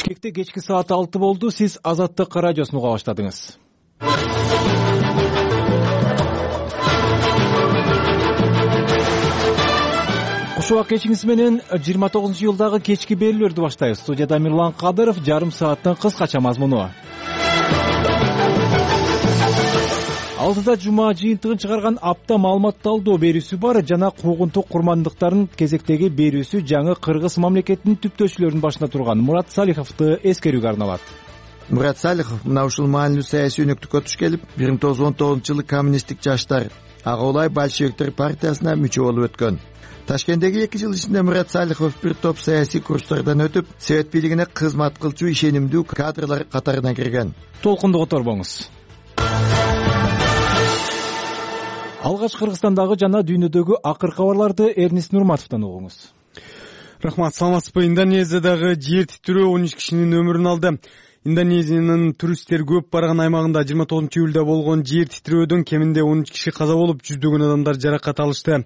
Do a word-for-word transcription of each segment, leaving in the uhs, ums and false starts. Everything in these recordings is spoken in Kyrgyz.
Бишкекте кечки саат алты болду. Сиз Азаттык радиосун уга баштадыңыз. Куш убак кечиңиз менен жыйырма тогузунчу июлдагы кечки берүүлөрдү баштайбыз. Студияда Мирлан Кадыров, жарым сааттын кыскача мазмуну. Алтыда жума жыйынтыгын чыгарган апта маалымат талдоо берүүсү бар жана куугунтук курмандыктардын кезектеги берүүсү жаңы Кыргыз мамлекетинин түптөөчүлөрүнүн башында турган Мурат Салиховду эскерүүгө арналат. Мурат Салихов мына ушул маанилүү саясий өнөктүккө туш келип, бир миң тогуз жүз он тогузунчу жылы коммунисттик жаштар, ага улай большевиктер партиясына мүчө болуп өткөн. Ташкенттеги эки жыл ичинде Мурат Салихов бир топ саясий курстардан өтүп, совет бийлигине кызмат кылчу ишенимдүү кадрлар катарына кирген. Толкунду которбоңуз. Алгач Кыргызстандагы жана дүйнөдөгү акыр кабарларды Эрнис Нурматовдон угуңуз. Рахмат, саламатсызбы? Индонезиядагы жер титирөө он үч кишинин өмүрүн алды. Индонезиянын туристтер көп барган аймагында жыйырма тогузунчу июлда болгон жер титирөөдөн кеминде он үч киши каза болуп, жүздөгөн адамдар жаракат алышты.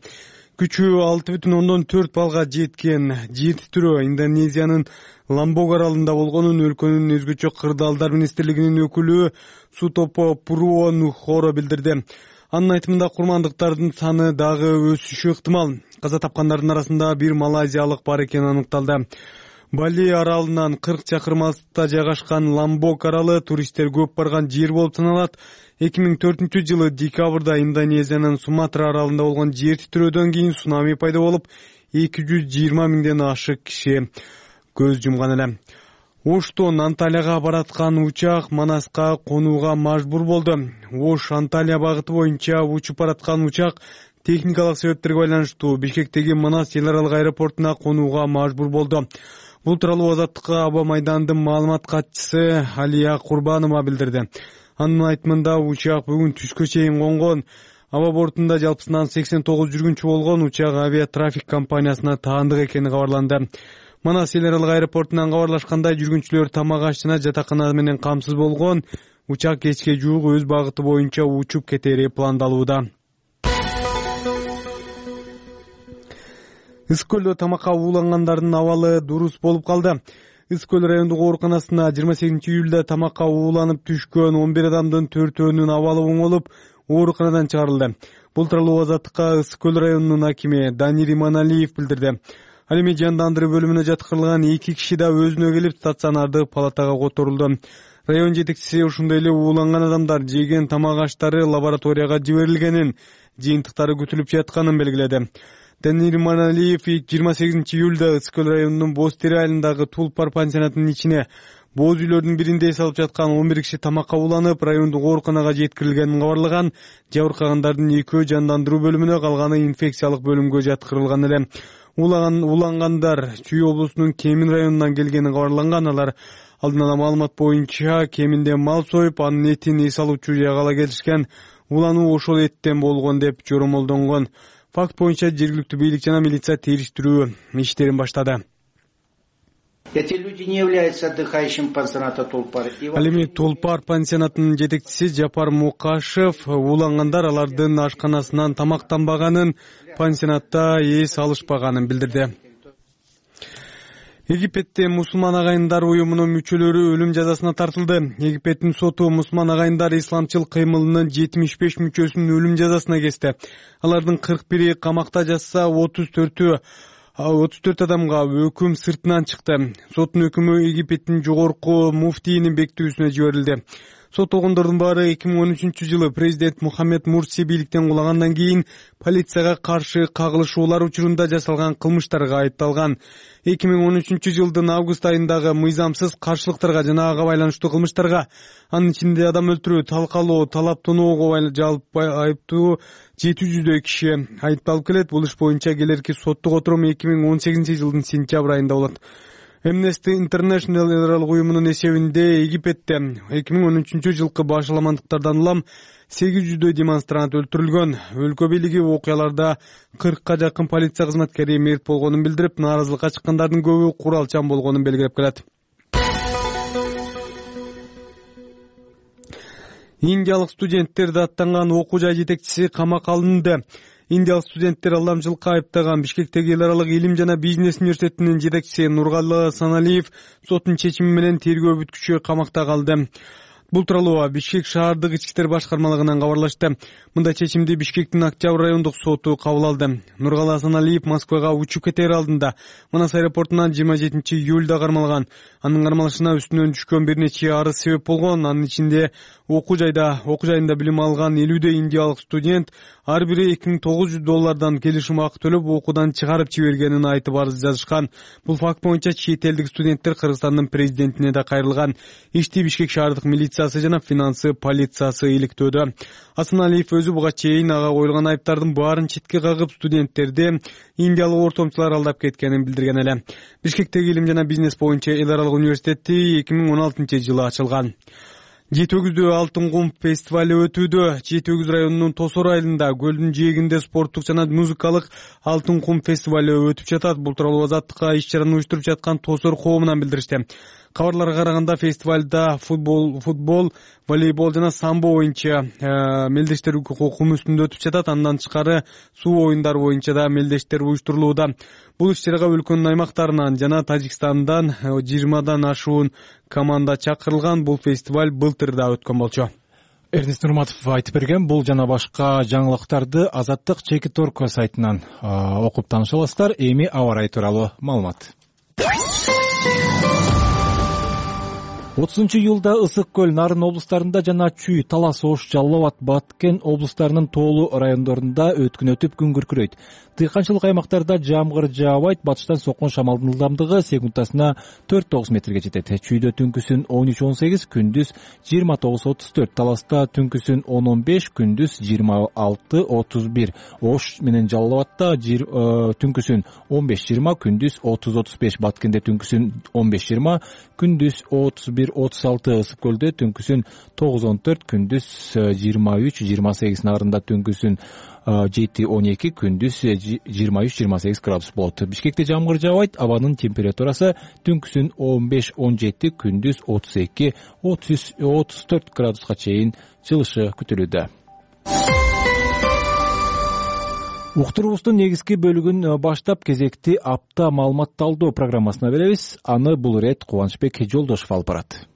Күчү алты бүтүн ондон төрт балга жеткен жер титирөө Индонезиянын Ламбок аралында болгонун өлкөнүн өзгөчө кырдаалдар министрлигинин өкүлү Сутопо Пурво Нухоро билдирди. Анын айтымында курмандыктардын саны дагы өсүшү ыктымал. Каза тапкандардын арасында бир малайзиялык бар экени аныкталды. Бали аралынан кырк чакырым алыстыкта жайгашкан Ламбок аралы туристтер көп барган жер болуп саналат. эки миң төртүнчү жылы декабрда Индонезиянын Суматра аралында болгон жер титирөөдөн кийин цунами пайда болуп, эки жүз жыйырма миңден ашык киши көз жумган эле. Оштон Анталияга бараткан учак Манаска конууга мажбур болду. Ош Анталия багыты боюнча учуп бараткан учак техникалык себептерге байланыштуу Бишкектеги Манас эл аралык аэропортуна конууга мажбур болду. Бул тууралуу Азаттыкка аба майданынын маалымат катчысы Алия Курбанова билдирди. Анын айтымында учак бүгүн түшкө чейин конгон. Аба бортунда жалпысынан сексен тогуз жүргүнчү болгон. Учак авиатрафик компаниясына таандык экени кабарланды. Манас эл аралык аэропортунан кабарлашкандай, жүргүнчүлөр тамак аш жана жатакана менен камсыз болгон. Учак кечке жуук өз багыты боюнча учуп кетери пландалууда. Ысык көлдө тамакка уулангандардын абалы дурус болуп калды. Ысык көл райондук ооруканасына жыйырма сегизинчи июлда тамакка ууланып түшкөн он бир адамдын төртөөнүн абалы оңолуп, ооруканадан чыгарылды. Бул тууралуу Азаттыкка Ысык көл районунун акими Данир Иманалиев билдирди. Ал эми жандандыруу бөлүмүнө жаткырылган эки киши да өзүнө келип стационардык палатага которулду. Район жетекчиси ушундай эле ууланган адамдар жеген тамак аштары лабораторияга жиберилгенин, жыйынтыктары күтүлүп жатканын белгиледи. Данир Иманалиев жыйырма сегизинчи июлда Ысык көл районунун Боз Тери айылындагы Тулпар пансионатынын ичине боз үйлөрдүн биринде эс алып жаткан он бир киши тамакка ууланып, райондук ооруканага жеткирилгенин кабарлаган. Жабыркагандардын экөө жандандыруу бөлүмүнө, калганы инфекциялык бөлүмгө жаткырылган эле. Улаган улангандар Чүй облусунун Кемин районунан келгени кабарланган. Алар алдын ала маалымат боюнча кеминде мал союп, анын этин эс алуучу жайга ала келишкен. Улануу ошол эттен болгон деп жоромолдонгон. Факт боюнча жергиликтүү бийлик жана милиция териштирүү иштерин баштады. Эти люди не являются отдыхающим пансионата Тулпар. Ал эми Тулпар пансионатынын жетекчиси Жапар Мукашев уулангандар алардын ашканасынан тамактанбаганын, пансионатта эс алышпаганын билдирди. Египетте мусулман агайындар уюмунун мүчөлөрү өлүм жазасына тартылды. Египеттин соту мусулман агайындар исламчыл кыймылынын жетимиш беш мүчөсүн өлүм жазасына кести. Алардын кырк бири камакта жатса, отуз төртү отуз төрт адамга өкүм сыртынан чыкты. Соттун өкүмү Египеттин жогорку муфтийинин бекитүүсүнө жиберилди. Соттолгондордун баары эки миң он үчүнчү жылы президент Мухаммед Мурси бийликтен кулагандан кийин полицияга каршы кагылышуулар учурунда жасалган кылмыштарга айыпталган. эки миң он үчүнчү жылдын август айындагы мыйзамсыз каршылыктарга жана ага байланыштуу кылмыштарга, анын ичинде адам өлтүрүү, талкалоо, талап тоноого жалпы айыптуу жети жүздөй киши айыпталып келет. Бул иш боюнча келерки соттук отурум эки миң он сегизинчи жылдын сентябрь айында болот. Amnesty International эл аралык уюмунун эсебинде Египетте эки миң он үчүнчү жылкы башаламандыктардан улам сегиз жүздөй демонстрант өлтүрүлгөн. Өлкө бийлиги окуяларда кыркка жакын полиция кызматкери мерт болгонун билдирип, нааразылыкка чыккандардын көбү куралчан болгонун белгилеп келет. Индиялык студенттерди аттанган окуу жай жетекчиси камакка алынды. Индиялык студенттер алдамчылыкка айыптаган Бишкектеги эл аралык илим жана бизнес университетинин жетекчиси Нургалы Саналиев соттун чечими менен тергөө бүткүчү камакта калды. Бул тууралуу Бишкек шаардык ички иштер башкармалыгынан кабарлашты. Мындай чечимди Бишкектин Октябрь райондук соту кабыл алды. Нургалы Асаналиев Москвага учуп кетер алдында Манас аэропортунан жыйырма жетинчи июлда кармалган. Анын кармалышына үстүнөн түшкөн бир нече арыз себеп болгон. Анын ичинде окуу жайда окуу жайында билим алган элүүдөй индиялык студент ар бири эки миң тогуз жүз доллардан келишим акы төлөп окуудан чыгарып жибергенин айтып арыз жазышкан. Бул факт боюнча чет элдик студенттер Кыргызстандын президентине да кайрылган. Ишти Бишкек шаардык милициясы жана финансы полициясы иликтөөдө. Асаналиев өзү буга чейин ага коюлган айыптардын баарын четке кагып, студенттерди индиялык ортомчулар алдап кеткенин билдирген эле. Бишкектеги илим жана бизнес боюнча эл аралык университети эки миң он алтынчы жылы ачылган. жети өгүздүү Алтын кум фестивали өтүүдө. жети өгүз районунун Тосор айылында көлдүн жээгинде спорттук жана музыкалык Алтын кум фестивали өтүп жатат. Бул тууралуу Азаттыкка иш-чараны уюштуруп жаткан Тосор коомунан билдиришти. Кабарларга караганда фестивалда футбол, футбол, волейбол жана самбо боюнча мелдештер кум үстүндө өтүп жатат. Андан тышкары суу оюндары боюнча да мелдештер уюштурулууда. Бул иш-чарага өлкөнүн аймактарынан жана Тажикстандан жыйырмадан ашуун команда чакырылган. Бул фестиваль былтыр да өткөн болчу. Эрнест Нурматов айтып берген. Бул жана башка жаңылыктарды Азаттык Чекит Орко сайтынан окуп тааныша аласыздар. Эми аба ырайы тууралуу маалымат. отузунчу июлда Ысык көл, Нарын облустарында жана Чүй, Талас, Ош, Жалал Абад, Баткен облустарынын тоолуу райондорунда өткүн өтүп күн күркүрөйт. Тыйканчылык аймактарда жамгыр жаабайт, батыштан соккон шамалдын ылдамдыгы секундасына төрт тогуз метрге жетет. Чүйдө түнкүсүн он үч он сегиз, күндүз жыйырма тогуз отуз төрт, Таласта түнкүсүн он он беш, күндүз жыйырма алты отуз бир, Ош менен Жалал Абадта түнкүсүн он беш жыйырма, күндүз отуз отуз беш, Баткенде түнкүсүн он беш жыйырма, күндүз отуз бир отуз алты, Ысык көлдө түнкүсүн тогуз он төрт, күндүз жыйырма үч жыйырма сегиз, Нарында түнкүсүн жети он эки, күндүз жыйырма үч жыйырма сегиз градус болот. Бишкекте жамгыр жаабайт, абанын температурасы түнкүсүн он беш он жети, күндүз отуз эки отуз төрт градуска чейин жылышы күтүлүүдө. Уктуруубуздун негизги бөлүгүн баштап кезекти апта маалыматталдоо программасына беребиз. Аны бул ирет Кубанычбек Жолдошов алып барат.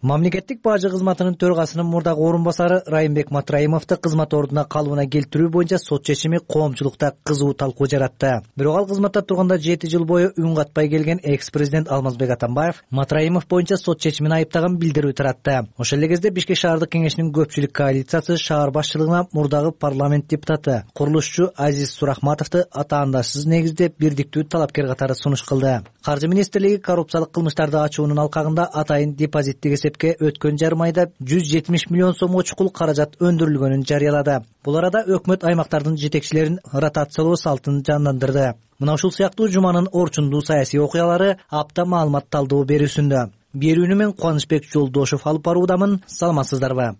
Мамлекеттик бажы кызматынын төрагасынын мурдагы орун басары Райымбек Матраимовду кызмат ордуна калыбына келтирүү боюнча сот чечими коомчулукта кызуу талкуу жаратты. Бирок ал кызматта турганда жети жыл бою үн катпай келген экс-президент Алмазбек Атамбаев Матраимов боюнча сот чечимин айыптаган билдирүү таратты. Ошол эле кезде Бишкек шаардык кеңешинин көпчүлүк коалициясы шаар башчылыгына мурдагы парламент депутаты, курулушчу Азиз Сурахматовду атаандашсыз негизде бирдиктүү талапкер катары сунуш кылды. Каржы министрлиги коррупциялык кылмыштарды ачуунун алкагында атайын депозиттик өткөн жарым айда жүз жетимиш миллион сомго чукул каражат өндүрүлгөнүн жарыялады. Бул арада өкмөт аймактардын жетекчилерин ротациялоо салтын жандандырды. Мына ушул сыяктуу жуманын орчундуу саясий окуялары апта маалыматталдоо берүүсүндө. Берүүнү мен Кубанычбек Жолдошов алып баруудамын. Саламатсыздарбы?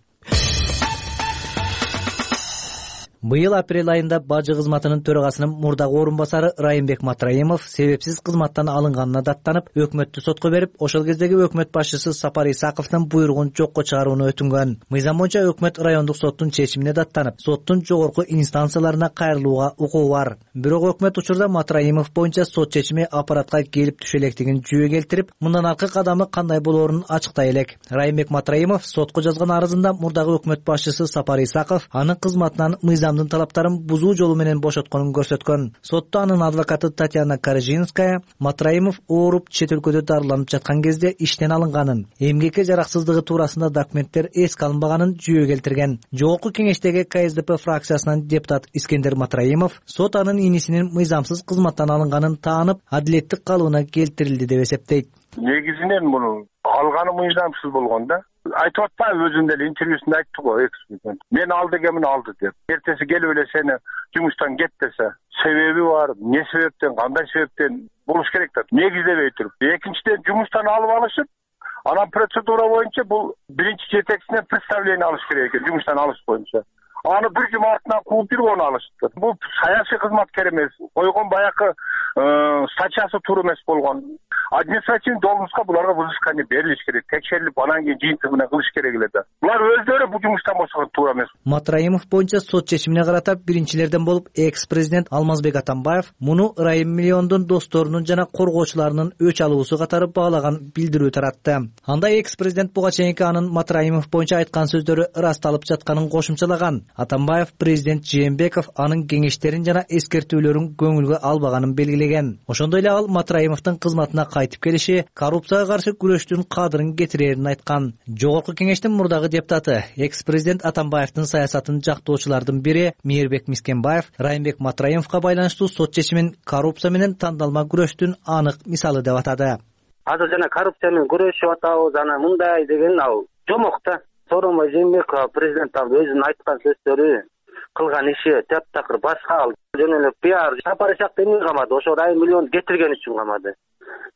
Быйыл апрель айында бажы кызматынын төрагасынын мурдагы орун басары Райымбек Матраимов себепсиз кызматтан алынганына даттанып, өкмөттү сотко берип, ошол кездеги өкмөт башчысы Сапар Исаковдун буйругун жокко чыгарууну өтүнгөн. Мыйзам боюнча өкмөт райондук соттун чечимине даттанып, соттун жогорку инстанцияларына кайрылууга укугу бар. Бирок өкмөт учурда Матраимов боюнча сот чечими аппаратка келип түшө электигин жүйө келтирип, мындан аркы кадамы кандай болоорун ачыктай элек. Райымбек Матраимов сотко жазган арызында мурдагы өкмөт башчысы Сапар Исаков анын кызматынан мыйзам талаптарын бузуу жолу менен бошотконун көрсөткөн. Сотто анын адвокаты Татьяна Коржинская Матраимов ооруп чет өлкөдө дарыланып жаткан кезде иштен алынганын, эмгекке жараксыздыгы туурасында документтер эске алынбаганын жүйө келтирген. Жогорку кеңештеги КСДП фракциясынан депутат Искендер Матраимов сот анын инисинин мыйзамсыз кызматтан алынганын таанып, адилеттик калыбына келтирилди деп эсептейт. Негизинен муну алганы мыйзамсыз болгон да. Айтып атпайбы, өзүнүн эле интервьюсунда айтты го экс-президент. Мен алды экенмин, алды деп. Эртеси келип эле сени жумуштан кет десе, себеби бар, эмне себептен, кандай себептен болуш керек да. Негиздебей туруп. Экинчиден жумуштан алып алышып, анан процедура боюнча бул биринчи жетекчисинен представление алыш керек экен, жумуштан алыш боюнча. аны бир жума артынан кууп жүргөнү алышты. Бул саясий кызматкер эмес, койгон баягы статьясы туура эмес болгон. Административный должностька буларга взыскание берилиш керек, текшерилип, анан кийин жыйынтыгы менен кылыш керек эле да. Булар өздөрү бул жумуштан бошогон туура эмес. Матраимов боюнча сот чечимине карата биринчилерден болуп экс-президент Алмазбек Атамбаев муну Райым миллиондун досторунун жана коргоочуларынын өч алуусу катары баалаган билдирүү таратты. Анда экс-президент буга чейинки анын Матраимов боюнча айткан сөздөрү ырасталып жатканын кошумчалаган. Атамбаев президент Жээнбеков анын кеңештерин жана эскертүүлөрүн көңүлгө албаганын белгилеген. Ошондой эле ал Матраимовдун кызматына кайтып келиши коррупцияга каршы күрөштүн кадырын кетирерин айткан. Жогорку кеңештин мурдагы депутаты, экс-президент Атамбаевдин саясатын жактоочулардын бири Мээрбек Мискенбаев Райымбек Матраимовго байланыштуу сот чечимин коррупция менен тандалма күрөштүн анык мисалы деп атады. Азыр жана коррупция менен күрөшүп атабыз, анан мындай деген ал жомок да. Сооронбай Жээнбеков президент ал өзүнүн айткан сөздөрү, кылган иши таптакыр башка ал жөн эле пиар. Сапар Исакты эмне камады? Ошо Райым миллион кетирген үчүн камады.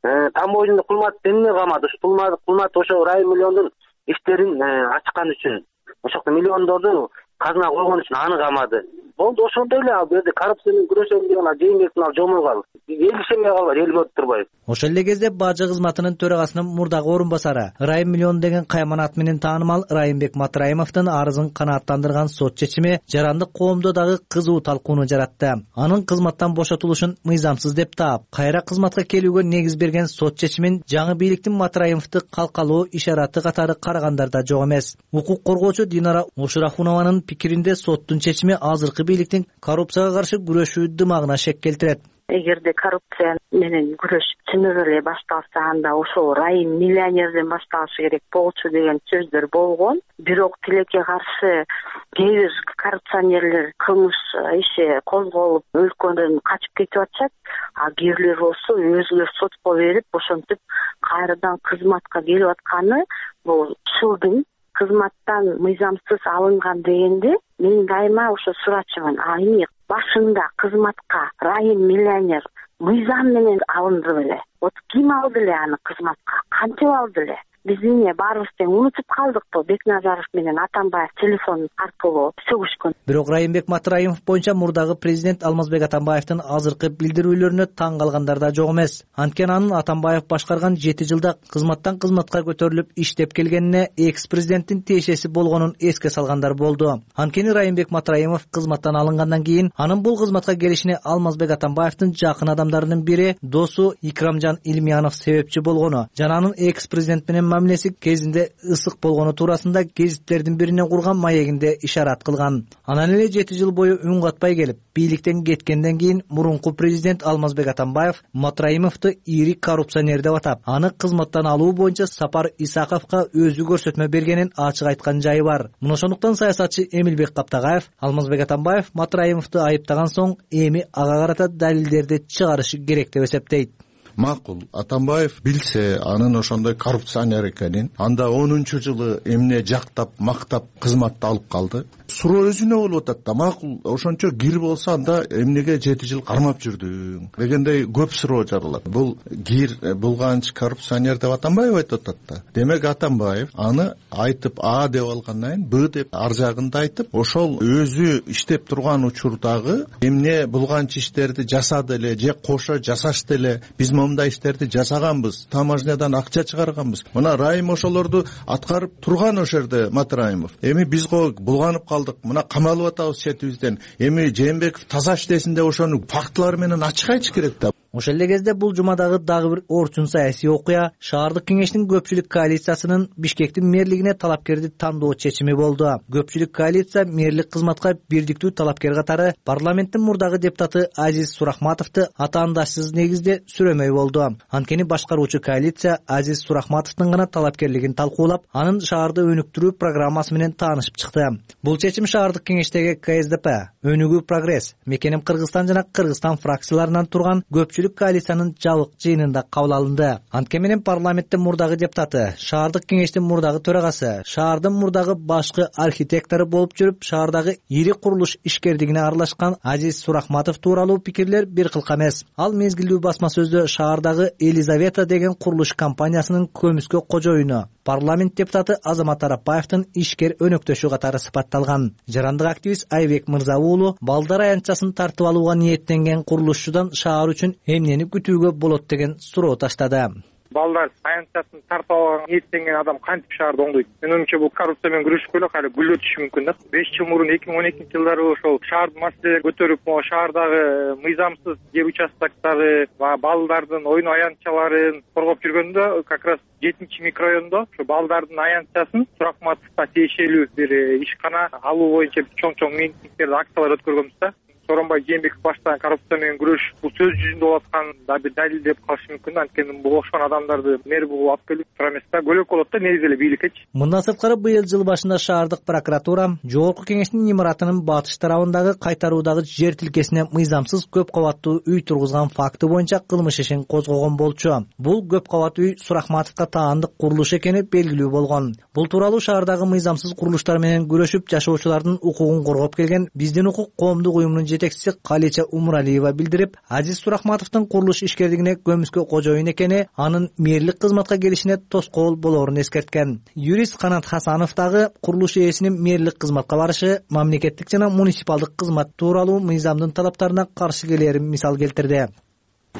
Тамбойдун Кулмат эмне камады? Кулмат ошо Райым миллиондун иштерин ачкан үчүн, ошол миллиондорду казына койгон үчүн аны камады. Болду, ошондой эле ал жерде коррупция менен күрөшөм деген ал Жээнбектин ал жомогу ал. Эл ишенбей калбайт, эл көрүп турбайбы? Ошол эле кезде бажы кызматынын төрагасынын мурдагы орун басары, Райым миллион деген кайман ат менен таанымал Райымбек Матраимовдун арызын канааттандырган сот чечими жарандык коомдо дагы кызуу талкууну жаратты. Анын кызматтан бошотулушун мыйзамсыз деп таап, кайра кызматка келүүгө негиз берген сот чечимин жаңы бийликтин Матраимовду калкалоо ишараты катары карагандар да жок эмес. Укук коргоочу Динара Ошурахунованын пикиринде соттун чечими азыркы бийликтин коррупцияга каршы күрөшүү дымагына шек келтирет. Эгерде коррупция менен күрөш чынында эле башталса, анда ошол Райым миллионерден башталышы керек болчу деген сөздөр болгон. Бирок тилекке каршы кээ бир коррупционерлер кылмыш иши козголуп өлкөдөн качып кетип атышат. А кээ бирлер болсо өзүлөр сотко берип ошентип кайрадан кызматка келип атканы бул ушулдун кызматтан мыйзамсыз алынган дегенде мен дайыма ошо сурачумун. А эмне башында кызматка Райым миллионер мыйзам менен алынды беле? Вот ким алды эле аны кызматка? Кантип алды эле? Биз эмне баарыбыз тең унутуп калдыкпы? Бекназаров менен Атамбаев телефон аркылуу сөгүшкөн. Бирок Райымбек Матраимов боюнча мурдагы президент Алмазбек Атамбаевдин азыркы билдирүүлөрүнө таң калгандар да жок эмес. Анткени анын Атамбаев башкарган жети жылда кызматтан кызматка көтөрүлүп иштеп келгенине экс-президенттин тиешеси болгонун эске салгандар болду. Анткени Райымбек Матраимов кызматтан алынгандан кийин анын бул кызматка келишине Алмазбек Атамбаевдин жакын адамдарынын бири досу Икрамжан Илмиянов себепчи болгону жана анын экс-президент менен мамилеси кезинде ысык болгону туурасында гезиттердин бирине курган маегинде ишарат кылган. Анан эле жети жыл бою үн катпай келип, бийликтен кеткенден кийин мурунку президент Алмазбек Атамбаев Матраимовду ири коррупционер деп атап, аны кызматтан алуу боюнча Сапар Исаковго өзү көрсөтмө бергенин ачык айткан жайы бар. Мына ошондуктан саясатчы Эмилбек Каптагаев Алмазбек Атамбаев Матраимовду айыптаган соң эми ага карата далилдерди чыгарышы керек деп эсептейт. Макул, Атамбаев билсе анын ошондой коррупционер экенин, анда онунчу жылы эмне жактап, мактап кызматты алып калды. Суроо өзүнө болуп атат да, макул, ошончо гир болсо анда эмнеге жети жыл кармап жүрдүң дегендей көп суроо жаралат. Бул гир булганч коррупционер деп Атамбаев айтып атат да. Демек Атамбаев аны айтып А деп алгандан кийин Б деп ар жагын да айтып, ошол өзү иштеп турган учурдагы эмне булганч иштерди жасады эле же кошо жасашты эле, биз мындай иштерди жасаганбыз, таможнядан акча чыгарганбыз. Мына Райым ошолорду аткарып турган ошол жерде Матраимов. Эми биз го булганып калдык, мына камалып атабыз четибизден. Эми Жээнбеков таза иштесин деп ошону фактылар менен ачык айтыш керек да. Ошол эле кезде бул жумадагы дагы бир орчун саясий окуя шаардык кеңештин көпчүлүк коалициясынын Бишкектин мэрлигине талапкерди тандоо чечими болду. Көпчүлүк коалиция мэрлик кызматка бирдиктүү талапкер катары парламенттин мурдагы депутаты Азиз Сурахматовду атаандашсыз негизде сүрөмөй болду. Анткени башкаруучу коалиция Азиз Сурахматовдун гана талапкерлигин талкуулап, анын шаарды өнүктүрүү программасы менен таанышып чыкты. Бул чечим шаардык кеңештеги ка эс де пе, Өнүгүү прогресс, Мекеним Кыргызстан жана Кыргызстан фракцияларынан турган көпчүлүк көпчүлүк коалициянын жабык жыйынында кабыл алынды. Анткени менен парламенттин мурдагы депутаты, шаардык кеңештин мурдагы төрагасы, шаардын мурдагы башкы архитектору болуп жүрүп, шаардагы ири курулуш ишкердигине аралашкан Азиз Сурахматов тууралуу пикирлер бир кылка эмес. Ал мезгилдүү басма сөздө шаардагы Елизавета деген курулуш компаниясынын көмүскө кожоюну, парламент депутаты Азамат Арапаевдин ишкер өнөктөшү катары сыпатталган. Жарандык активист Айбек Мырза уулу балдар аянтчасын тартып алууга ниеттенген курулушчудан шаар үчүн эмнени күтүүгө болот деген суроо таштады. Балдар аянтчасын тартып алууга ниеттенген адам кантип шаарды оңдойт? Менин оюмча бул коррупция менен күрөшүп эле кайра гүлдө түшүшү мүмкүн да. беш жыл мурун эки миң он экинчи жылдары ошол шаардын маселелерин көтөрүп, могу шаардагы мыйзамсыз жер участоктары, балдардын оюн аянтчаларын коргоп жүргөндө, как раз жетинчи микрорайондо ошо балдардын аянтчасын Сурахматовго тиешелүү бир ишкана алуу боюнча чоң-чоң митингдерди, акциялар өткөргөнбүз да. Сооронбай Жээнбеков баштаган коррупция менен күрөш бул сөз жүзүндө болуп аткан да бир далил деп калышы мүмкүн. Анткени бул ошон адамдарды мэр болуп алып келип тура эмес да, көлөк болот да негизи эле бийликкечи. Мындан сырткары быйыл жыл башында шаардык прокуратура Жогорку кеңештин имаратынын батыш тарабындагы кайтаруудагы жер тилкесине мыйзамсыз көп кабаттуу үй тургузган факты боюнча кылмыш ишин козгогон болчу. Бул көп кабат үй Сурахматовго таандык курулуш экени белгилүү болгон. Бул тууралуу шаардагы мыйзамсыз курулуштар менен күрөшүп жашоочулардын укугун коргоп келген Биздин укук коомдук уюмунун жетекчиси Калича Умуралиева билдирип, Азиз Сурахматовдун курулуш ишкердигине көмүскө кожоюн экени, анын мэрлик кызматка келишине тоскоол болоорун эскерткен. Юрист Канат Хасанов дагы курулуш ээсинин мэрлик кызматка барышы мамлекеттик жана муниципалдык кызмат тууралуу мыйзамдын талаптарына каршы келерин мисал келтирди.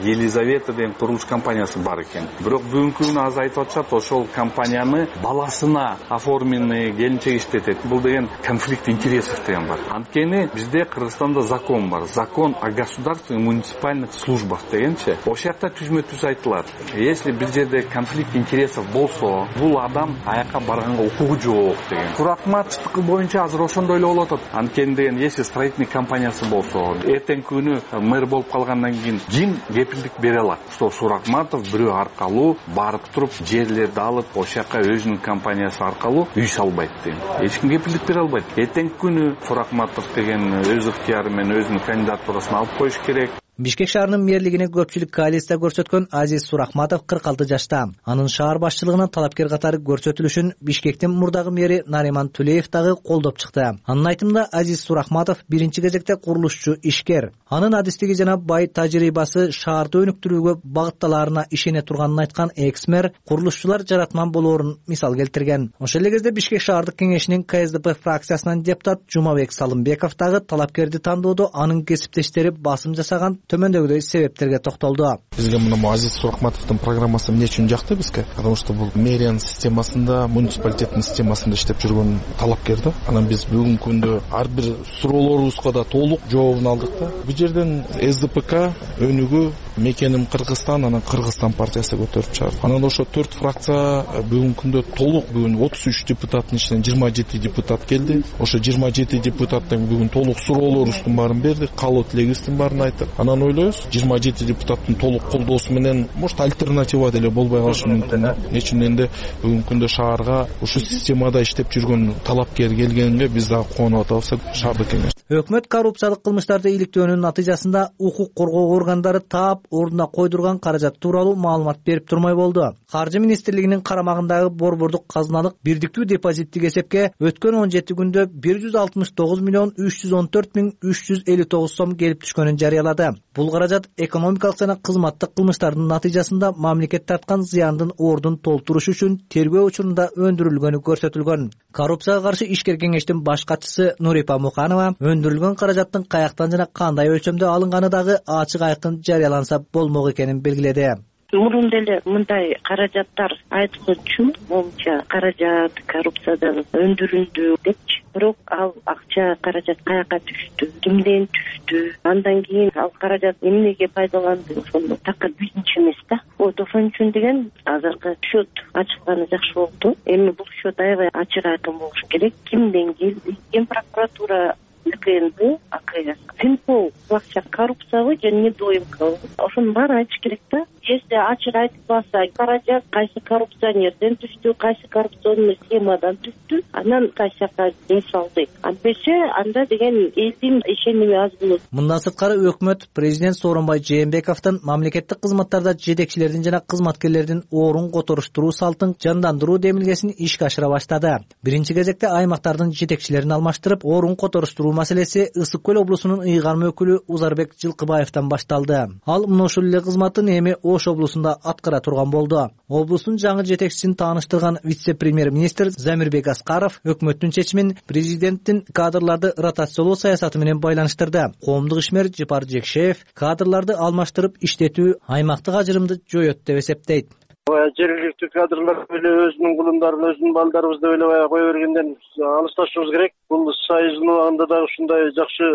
Елизавета деген курулуш компаниясы бар экен. Бирок бүгүнкү күнү азыр айтып атышат, ошол компанияны баласына оформленный келинчек иштетет. Бул деген конфликт интересов деген бар. Анткени бизде Кыргызстанда закон бар. Закон о государственных муниципальных службах дегенче. Ошол жакта түзмө-түз айтылат. Если бир жерде конфликт интересов болсо, бул адам аяка барганга укугу жок деген. Сурахматовдуку боюнча азыр ошондой эле болуп атат. Анткени деген, если строительный компаниясы болсо, эртеңки күнү мэр болуп калгандан кийин ким кепилдик бере алат, что Сурахматов бирөө аркалуу барып туруп жерлерди алып, ошол жака өзүнүн компаниясы аркалуу үй салбайт деген. Эч ким кепилдик бере албайт. Эртеңки күнү Сурахматов деген өз ыктыяры менен өзүнүн кандидатурасын алып коюш керек. Бишкек шаарынын мэрлигине көпчүлүк коалиция көрсөткөн Азиз Сурахматов кырк алты жашта. Анын шаар башчылыгына талапкер катары көрсөтүлүшүн Бишкектин мурдагы мэри Нариман Тулеев дагы колдоп чыкты. Анын айтымында Азиз Сурахматов биринчи кезекте курулушчу ишкер. Анын адистиги жана бай тажрыйбасы шаарды өнүктүрүүгө багытталаарына ишене турганын айткан экс-мэр курулушчулар жаратман болоорун мисал келтирген. Ошол эле кезде Бишкек шаардык кеңешинин Ка Эс Д П фракциясынан депутат Жумабек Салымбеков дагы талапкерди тандоодо анын кесиптештери басым жасаган төмөндөгүдөй себептерге токтолду. Бизге мына Азиз Сурахматовдун программасы эмне үчүн жакты бизге? Потому что бул мэриянын системасында, муниципалитеттин системасында иштеп жүргөн талапкер да. Анан биз бүгүнкү күндө ар бир суроолорубузга да толук жообун алдык да. Бул жерден Эс Д П К өнүгүү мекеним Кыргызстан, анан Кыргызстан партиясы көтөрүп чыгарды. Анан ошо төрт фракция бүгүнкү күндө толук, бүгүн отуз үч депутаттын ичинен жыйырма жети депутат келди. Ошо жыйырма жети депутаттын бүгүн толук суроолорубуздун баарын бердик, каалоо тилегибиздин баарын айттык. Анан ойлойбуз, жыйырма жети депутаттын толук колдоосу менен может альтернатива деле болбой калышы мүмкүн. Нече менде бүгүнкү күндө шаарга ушул системада иштеп жүргөн талапкер келгенге биз дагы кубанып атабыз. Шаардык кеңеш. Өкмөт коррупциялык кылмыштарды иликтөөнүн натыйжасында укук коргоо органдары таап ордуна койдурган каражат тууралуу маалымат берип турмай болду. Каржы министрлигинин карамагындагы борбордук казыналык бирдиктүү депозиттик эсепке өткөн он жети күндө бир жүз алтымыш тогуз миллион үч жүз он төрт миң үч жүз элүү тогуз сом келип түшкөнүн жарыялады. Бул каражат экономикалык жана кызматтык кылмыштардын натыйжасында мамлекет тарткан зыяндын ордун толтуруш үчүн тергөө учурунда өндүрүлгөнү көрсөтүлгөн. Коррупцияга каршы ишкер кеңештин баш катчысы Нурипа Муканова өндүрүлгөн каражаттын каяктан жана кандай өлчөмдө алынганы дагы ачык айкын жарыяланса болмок экенин белгиледи. Мурун деле мындай каражаттар айтылчу, моунча каражат коррупциядан өндүрүлдү депчи. Бирок ал акча, каражат каяка түштү, кимден түштү, андан кийин ал каражат эмнеге пайдаланды, ошону такыр бизинчи эмес да. Вот ошон үчүн деген азыркы счет ачылганы жакшы болду. Эми бул счет аябай ачык айкын болуш керек. Кимден келди? Ген прокуратура, К Н Б, А К С, Финпол, акча коррупциябы же недоимкабы, ошонун баарын айтыш керек да. Если ачык айтылбаса, каражат кайсы коррупционерден түштү, кайсы коррупционный схемадан түштү, анан кайсы жака ден салды. Антпесе анда деген элдин ишеними аз болот. Мындан сырткары өкмөт президент Сооронбай Жээнбековдун мамлекеттик кызматтарда жетекчилердин жана кызматкерлердин орун которуштуруу салтын жандандыруу демилгесин ишке ашыра баштады. Биринчи кезекте аймактардын жетекчилерин алмаштырып, орун которуштуруу маселеси Ысык көл облусунун ыйгарма өкүлү Узарбек Жылкыбаевден башталды. Ал мына ушул эле кызматын эми Ош облусунда аткара турган болду. Облустун жаңы жетекчисин тааныштырган вице-премьер-министр Замирбек Аскаров өкмөттүн чечимин президенттин кадрларды ротациялоо саясаты менен байланыштырды. Коомдук ишмер Жапар Жекшеев кадрларды алмаштырып иштетүү аймактык ажырымды жоёт деп эсептейт. Жергиликтүү кадрлар эле өзүнүн кулундарын, өзүнүн балдарыбызды эле баягы кое бергенден алысташыбыз керек. Бул союздун убагында дагы ушундай жакшы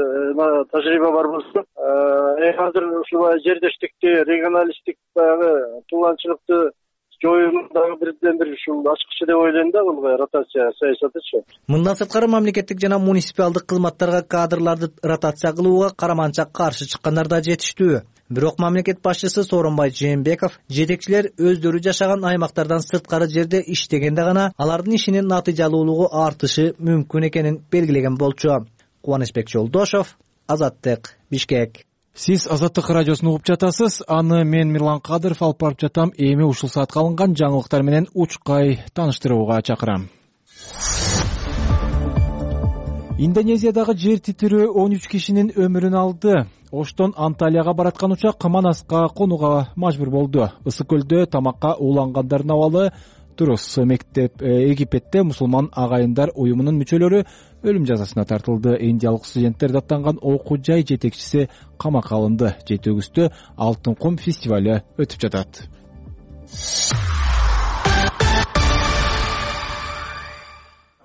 тажрыйба бар болсо, азыр ушул жердештикти, регионалисттик баягы тууланчылыкты жоюундагы бирден бир ушул ачкычы деп ойлойм да, бул ротация саясатычы. Мындан сырткары мамлекеттик жана муниципалдык кызматтарга кадрларды ротация кылууга караманча каршы чыккандар да жетиштүү. Бирок мамлекет башчысы Сооронбай Жээнбеков жетекчилер өздөрү жашаган аймактардан сырткары жерде иштегенде гана алардын ишинин натыйжалуулугу артышы мүмкүн экенин белгилеген болчу. Кубанычбек Жолдошов, Азаттык, Бишкек. Сиз Азаттык радиосун угуп жатасыз. Аны мен Мирлан Кадыров алып барып жатам. Эми ушул саатка алынган жаңылыктар менен учкай тааныштырууга чакырам. Индонезиядагы жер титирөө он үч кишинин өмүрүн алды. Оштон Анталияга бараткан учак Манаска конууга мажбур болду. Ысык көлдө тамакка уулангандардын абалы туруз. Мектеп Египетте мусулман агайындар уюмунун мүчөлөрү өлүм жазасына тартылды. Индиялык студенттер даттанган окуу жай жетекчиси камакка алынды. Жети өгүстө Алтын кум фестивалы өтүп жатат.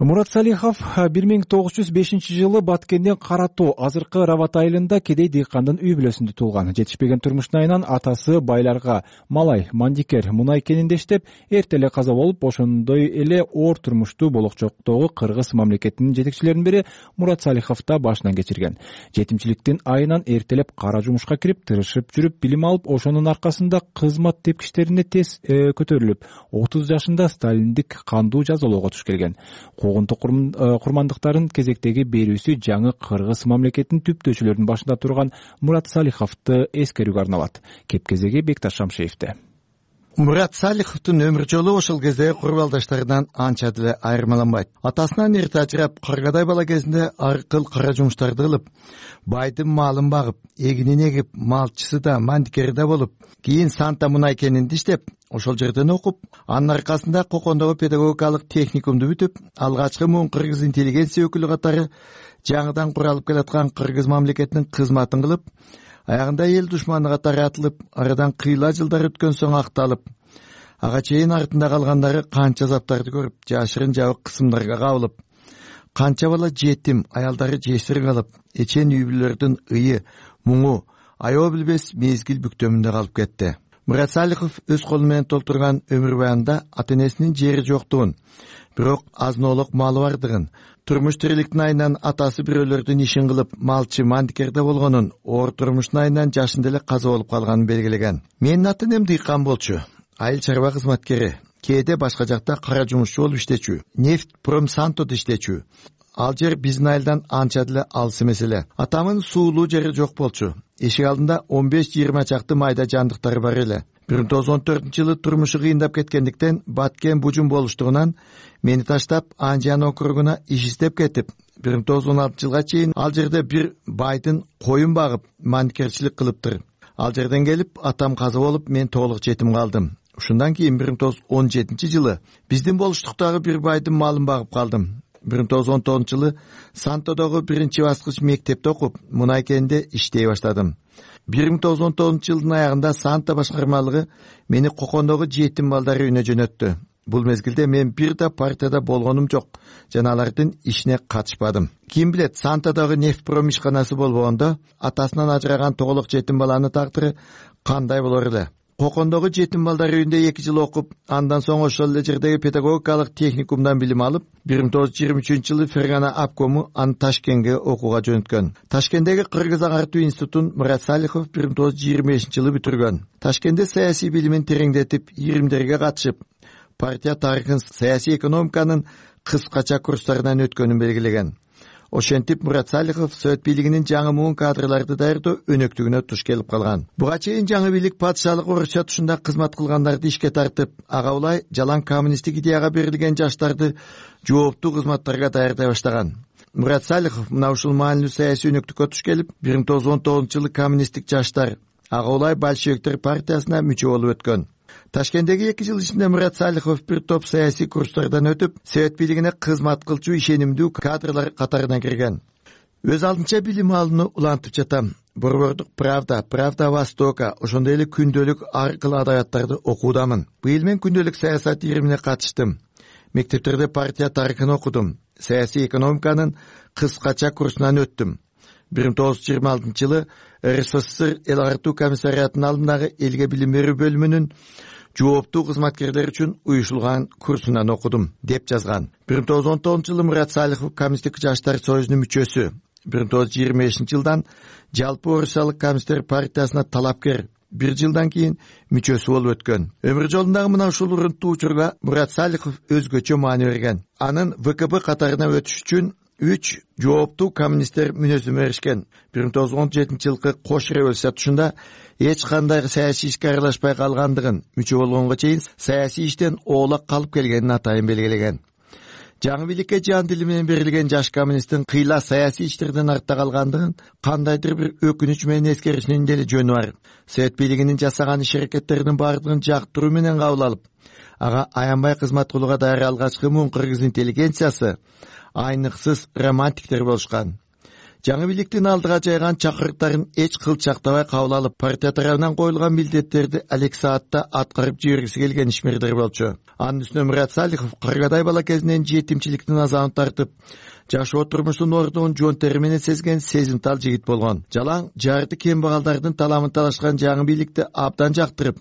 Мурат Салихов бир миң тогуз жүз бешинчи жылы Баткенден Кара Тоо, азыркы Рават айылында кедей дыйкандын үй бүлөсүндө туулган. Жетишпеген турмуштун айынан атасы байларга малай, мандикер, мунай кенинде иштеп, эрте эле каза болуп, ошондой эле оор турмушту болокчоктогу кыргыз мамлекетинин жетекчилеринин бири Мурат Салихов да башынан кечирген. Жетимчиликтин айынан эртелеп кара жумушка кирип, тырышып жүрүп, билим алып, ошонун аркасында кызмат тепкичтерине тез көтөрүлүп, отуз жашында сталиндик кандуу жазалоого туш келген. Куугунтук курмандыктарын кезектеги берүүсү жаңы кыргыз мамлекетинин түптөөчүлөрүнүн башында турган Мурат Салиховду эскерүүгө арналат. Кеп кезеги Бекташ Шамшеевде. Мурат Салиховдун өмүр жолу ошол кездеги курбалдаштарынан анча деле айырмаланбайт. Атасынан эрте ажырап, каргадай бала кезинде ар кыл кара жумуштарды кылып, байдын малын багып, эгинин эгип, малчысы да, мандикери да болуп, кийин Санта мунай кенинде иштеп, ошол жерден окуп, анын аркасында Кокондогу педагогикалык техникумду бүтүп, алгачкы муун кыргыз интеллигенция өкүлү катары жаңыдан куралып келаткан кыргыз мамлекетинин кызматын кылып, аягында эл душманы катары атылып, арадан кыйла жылдар өткөн соң акталып, ага чейин артында калгандары канча азаптарды көрүп, жашырын жабык кысымдарга кабылып, канча бала жетим, аялдары жесир калып, эчен үй бүлөлөрдүн ыйы, муңу, аябы билбес мезгил бүктөмүндө калып кетти. Мурат Салихов өз колу менен толтурган өмүр баянында ата-энесинин жери жоктугун, бирок азноолук малы бардыгын, турмуш тириликтин айынан атасы бирөөлөрдүн ишин кылып, малчы, мандикерде болгонун, оор турмуштун айынан жашында эле каза болуп калганын белгилеген. Менин ата-энем дыйкан болчу, айыл чарба кызматкери, кээде башка жакта кара жумушчу болуп иштечү, нефть промсантодо иштечү. Ал жер биздин айылдан анча деле алыс эмес эле. Атамын суулуу жери жок болчу. Эшик алдында он беш жыйырма чакты майда жандыктары бар эле. бир миң тогуз жүз он төртүнчү жылы турмушу кыйындап кеткендиктен Баткен бужум болуштугунан мени таштап Анжан округуна иш издеп кетип, бир миң тогуз жүз он алтынчы жылга чейин ал жерде бир байдын коюн багып, мандикерчилик кылыптыр. Ал жерден келип, атам каза болуп, мен толук жетим калдым. Ушундан кийин бир миң тогуз жүз он жетинчи жылы биздин болуштуктагы бир байдын малын багып калдым. бир миң тогуз жүз он тогузунчу жылы Сантодогу биринчи баскыч мектепте окуп, мунай кенинде иштей баштадым. бир миң тогуз жүз он тогузунчу жылдын аягында Санта башкармалыгы мени Кокондогу жетим балдар үйүнө жөнөттү. Бул мезгилде мен бир да партияда болгонум жок жана алардын ишине катышпадым. Ким билет, Сантадагы нефтпром ишканасы болбогондо атасынан ажыраган тоголок жетим баланын тагдыры кандай болор эле. Кокондогу жетим балдар үйүндө эки жыл окуп, андан соң ошол эле жердеги педагогикалык техникумдан билим алып, бир миң тогуз жүз жыйырма үчүнчү жылы Фергана обкому аны Ташкентке окууга жөнөткөн. Ташкенттеги Кыргыз агартуу институтун Мурат Салихов бир миң тогуз жүз жыйырма бешинчи жылы бүтүргөн. Ташкентте саясий билимин тереңдетип, ийримдерге катышып, партия тарыхын, саясий экономиканын кыскача курстарынан өткөнүн белгилеген. Ошентип Мурат Салихов Совет бийлигинин жаңы муун кадрларды даярдоо өнөктүгүнө туш келип калган. Буга чейин жаңы бийлик падышалык Орусия тушунда кызмат кылгандарды ишке тартып, ага улай жалаң коммунисттик идеяга берилген жаштарды жооптуу кызматтарга даярдай баштаган. Мурат Салихов мына ушул маанилүү саясий өнөктүккө туш келип, бир миң тогуз жүз он тогузунчу жылы коммунисттик жаштар, ага улай большевиктер партиясына мүчө болуп өткөн. Ташкенттеги эки жыл ичинде Мурат Салихов бир топ саясий курстардан өтүп, Совет бийлигине кызмат кылчу ишенимдүү кадрлар катарына кирген. Өз алдынча билим алууну улантып жатам. Борбордук Правда, Правда Востока, ошондой эле күндөлүк ар кыл адабияттарды окуудамын. Быйыл мен күндөлүк саясат ийримине катыштым. Мектептерде партия тарыхын окудум. Саясий экономиканын кыскача курсунан өттүм. бир миң тогуз жүз жыйырма алтынчы жылы РСФСР эл агартуу комиссариятынын алдындагы элге билим берүү бөлүмүнүн жооптуу кызматкерлер үчүн уюшулган курсунан окудум, деп жазган. бир миң тогуз жүз он тогузунчу жылы Мурат Салихов Коммунисттик жаштар союзунун мүчөсү, бир миң тогуз жүз жыйырма бешинчи жылдан жалпы Орусиялык коммунисттер партиясына талапкер, бир жылдан кийин мүчөсү болуп өткөн. Өмүр жолундагы мына ушул урунттуу учурга Мурат Салихов өзгөчө маани берген. Анын ВКП катарына өтүш үчүн үч жооптуу коммунисттер мүнөзүм беришкен. бир миң тогуз жүз он жетинчи жылкы кош революция тушунда эч кандай саясий ишке аралашпай калгандыгын, мүчө болгонго чейин саясий иштен оолак калып келгенин атайын белгилеген. Жаңы бийликке жан дили менен берилген жаш коммунисттин кыйла саясий иштерден артта калгандыгын кандайдыр бир өкүнүч менен эскеришинин деле жөнү бар. Совет бийлигинин жасаган иш-аракеттеринин бардыгын жактыруу менен кабыл алып, ага аянбай кызмат кылууга даяр алгачкы муун кыргыз интеллигенциясы айныксыз романтиктер болушкан. Жаңы бийликтин алдыга жайган чакырыктарын эч кылчактабай кабыл алып, партия тарабынан коюлган милдеттерди алек саатта аткарып жибергиси келген ишмердер болчу. Анын үстүнө Мурат Салихов кыргыдай бала кезинен жетимчиликтин азабын тартып, жашоо турмуштун ордугун жон тери менен сезген сезимтал жигит болгон. Жалаң жарты кембагалдардын таламын талашкан жаңы бийликти абдан жактырып,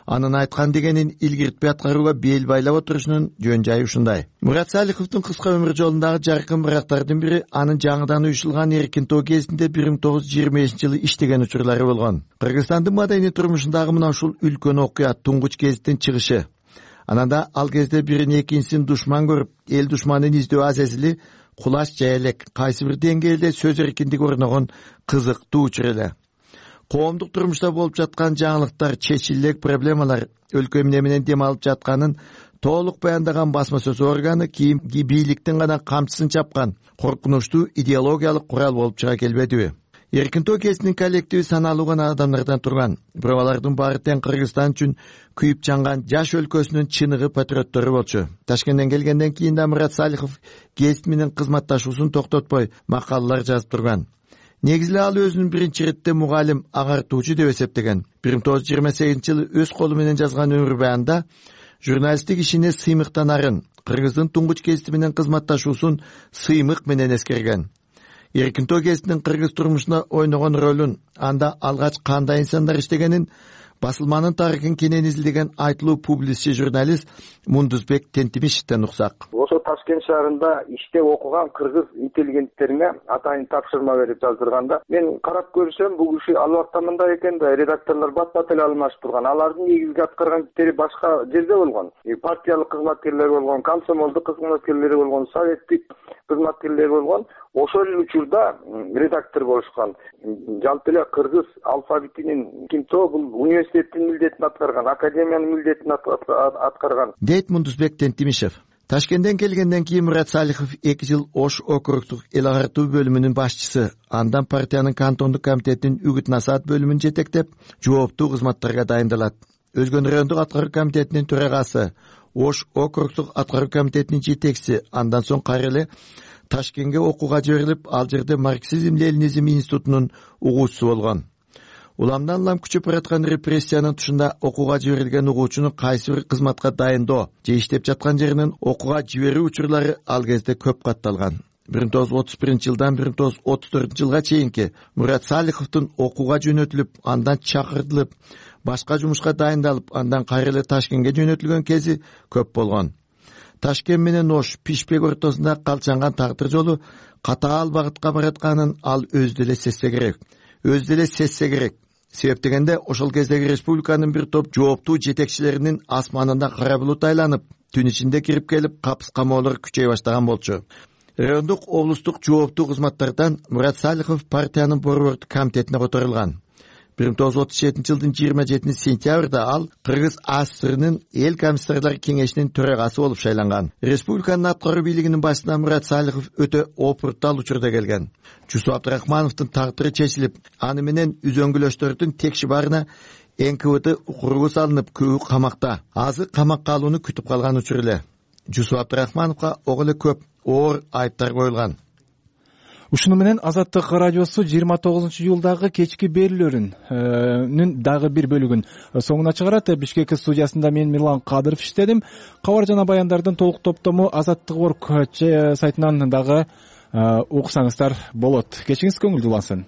анын айткан дегенин илгиртпей аткарууга бел байлап отурушунун жөн жайы ушундай. Мурат Салиховдун кыска өмүр жолундагы жаркын бырактардын бири анын жаңыдан уюшулган эркин тоо кезинде бир миң тогуз жүз жыйырма бешинчи жылы иштеген учурлары болгон. Кыргызстандын маданий турмушундагы мына ушул үлкөн окуя туңгуч гезиттин чыгышы. Ананда ал кезде бирин экинчисин душман көрүп, эл душманын издөө азезили кулаш жая элек, кайсы бир деңгээлде сөз эркиндиги орногон кызыктуу учур эле. Коомдук турмушта болуп жаткан жаңылыктар, чечиле элек проблемалар, өлкө эмне менен дем алып жатканын толук баяндаган басма сөз органы кийинки бийликтин гана камчысын чапкан коркунучтуу идеологиялык курал болуп чыга келбедиби? Эркин тоо кезинин коллективи саналуу гана адамдардан турган, бирок алардын баары тең Кыргызстан үчүн күйүп жанган жаш өлкөсүнүн чыныгы патриоттору болчу. Ташкенттен келгенден кийин да Мурат Салихов гезит менен кызматташуусун токтотпой макалалар жазып турган. Негизи ал өзүнүн биринчи иретте мугалим, агартуучу деп эсептеген. бир миң тогуз жүз жыйырма сегизинчи жылы өз колу менен жазган өмүр баянында журналисттик ишине сыймыктанарын, Кыргыздын туңгуч гезити менен кызматташуусун сыймык менен эскерген. Эркин тоо гезитинин кыргыз турмушуна ойногон ролун, анда алгач кандай инсандар иштегенин басылманын тарыхын кенен изилдеген айтылуу публицист журналист Мундузбек Тентимишевден уксак. Ошо Ташкент шаарында иштеп окуган кыргыз интеллигенттерине атайын тапшырма берип жаздырганда, мен карап көрсөм, бул киши албатта мындай экен да, редакторлор бат-бат эле алмашып турган. Алардын негизги аткарган иштери башка жерде болгон. Партиялык кызматкерлер болгон, комсомолдук кызматкерлери болгон, советтик кызматкерлер болгон. Ошол учурда редактор болушкан. Жалпы эле кыргыз алфавитинин кинто бул университеттин милдетин аткарган, академиянын милдетин аткарган. Дейт Мундузбек Тентимишев. Ташкенттен келгенден кийин Мурат Салихов эки жыл Ош округдук эл агартуу бөлүмүнүн башчысы, андан партиянын кантондук комитетинин үгүт насаат бөлүмүн жетектеп, жооптуу кызматтарга дайындалат. Өзгөн райондук аткаруу комитетинин төрагасы, Ош округдук аткаруу комитетинин жетекчиси, андан соң кайра эле Ташкентке окууга жиберилип, ал жерде марксизм-ленинизм институтунун угуучусу болгон. Уламдан улам күчөп бараткан репрессиянын тушунда окууга жиберилген угуучуну кайсы бир кызматка дайындоо же иштеп жаткан жеринен окууга жиберүү учурлары ал кезде көп катталган. бир миң тогуз жүз отуз биринчи жылдан бир миң тогуз жүз отуз төртүнчү жылга чейинки Мурат Салиховдун окууга жөнөтүлүп, андан чакыртылып, башка жумушка дайындалып, андан кайра эле Ташкентке жөнөтүлгөн кези көп болгон. Ташкент менен Ош Пишпек ортосунда калчанган тагдыр жолу катаал багытка баратканын ал өзү деле сезсе керек. Өзү деле сезсе керек. Себеп дегенде ошол кездеги республиканын бир топ жооптуу жетекчилеринин асманында кара булут айланып, түн ичинде кирип келип, капыс камоолор күчөй баштаган болчу. Райондук облустук жооптуу кызматтардан Мурат Салихов партиянын борбордук комитетине которулган. бир миң тогуз жүз отуз жетинчи жылдын жыйырма жетинчи сентябрда ал Кыргыз АССРнын эл комиссарлар кеңешинин төрагасы болуп шайланган. Республиканын аткаруу бийлигинин башына Мурат Салихов өтө опуруктал учурда келген. Жусуп Абдрахмановдун тагдыры чечилип, аны менен үзөңгүлөштөрдүн текши барына эн ка вэ тэ укуругу салынып, көбү камакта. Азы камакка алууну күтүп калган учур эле. Жусуп Абдрахмановго ого эле көп оор айыптар коюлган. Ушуну менен Азаттык радиосу жыйырма тогузунчу июлдагы кечки берүүлөрүнүн дагы бир бөлүгүн соңуна чыгарат. Бишкек студиясында мен Мирлан Кадыров иштедим. Кабар жана баяндардын толук топтому Азаттык орг сайтынан дагы уксаңыздар болот. Кечиңиз көңүлдүү улансын.